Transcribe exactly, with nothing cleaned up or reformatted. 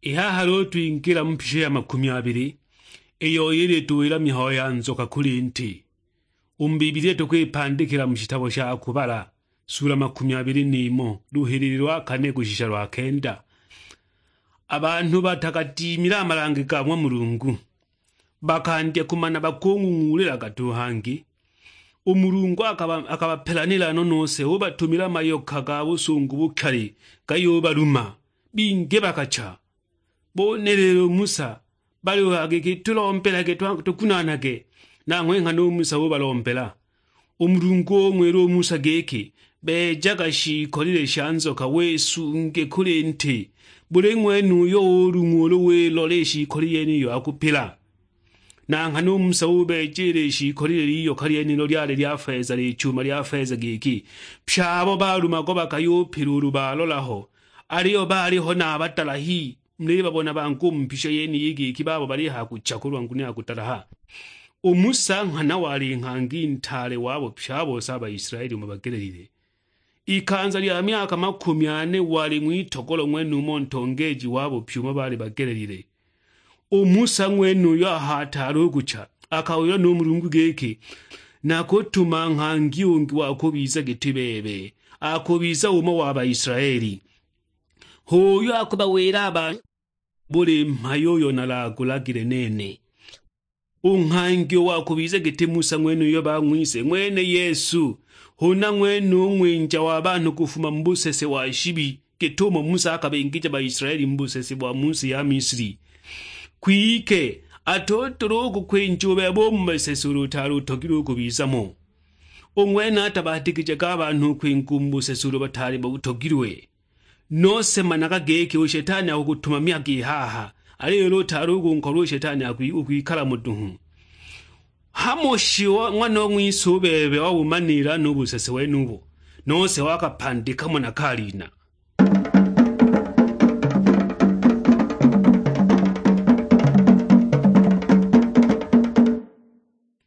I haha luulu twingila mu mpisho ya makumi abili, iyo ilituwila mihayo ya nzoka kuli nti. U mu Bibilia tukwipandikila mu shitabo sha Kubala, sula makumi abili n'imo, luhilili lwa kane kushisha lwa kenda. A banhu batagadiimile a malange ga ng'wa Mulungu, bakandya kumana bakung'ung'uulila gatu hangi. U Mulungu akaba-, akabapelanila no nose, ubatumila mayoka ga busungu bukali gayubaluma, bingi bakacha. Bone lelo u Musa, baliuhaya giki, "Tulombelage, twa-, tugunaanage." Nanghwe nghana u Musa ubalombela. U Mulungu ung'wila u Musa giki, "Beejaga shiikolile sha nzoka, wisunge kuli nti. Buli ng'wene uyo ulung'wa ulu wilola i shiikoli yeniyo akupila." Na nghana u Musa ubeeja ili shiikolile liyoka lyenilo lyali lya feza, lichuma lya feza giki, pye abo baalumago bakayupila ulu baalola ho. Aliyo baaliho na a badalahi, mulibabona bangi u mu mpisho yeniyi giki babo balihaya kucha kulwa nguno ya kudalaha. U Musa nghana wali nghangi ntaale wabo pye a bose a Baisilaeli umo bagelelile. Ikanza lya myaka makumi ane wali ng'witogolo ng'wenumo ntongeeji wabo pye umo baali bagelelile. U Musa ng'wenuyo aho ataali u kucha, akawilwa nu Mulungu giki, "Nakutuma nghangi ungi wa kubiza giti bebe, akubiza umo wa Baisilaeli. H'uyo akubawila a banhu buli mhayo uyo nalagulagile nene." U nghangi uyo wa kubiza giti Musa ng'wenuyo bang'wise ng'wene Yesu, huna ng'wene u ng'winja wa banhu kufuma mu busese wa shibi, git'umo Musa akabingija Baisilaeli mu busese bwa mu si ya Misili. Kwike atudula u kukwinja u bebe u mu busese ulu utaali utogilwe u kubiza mo. U ng'wene atabatikijaga a banhu u kwinga u mu busese ulu bataali butogilwe. Nose managa giki u Shetani akukutumamyaga i haha, aliyo ulu utaali u kunkolwa u Shetani akwi-, ukwikala mo duhu. Hamo shi wa-, ng'wana o ng'wise u bebe wabumaniila no u busese wenubo, nose wakapandika mo na kaliina?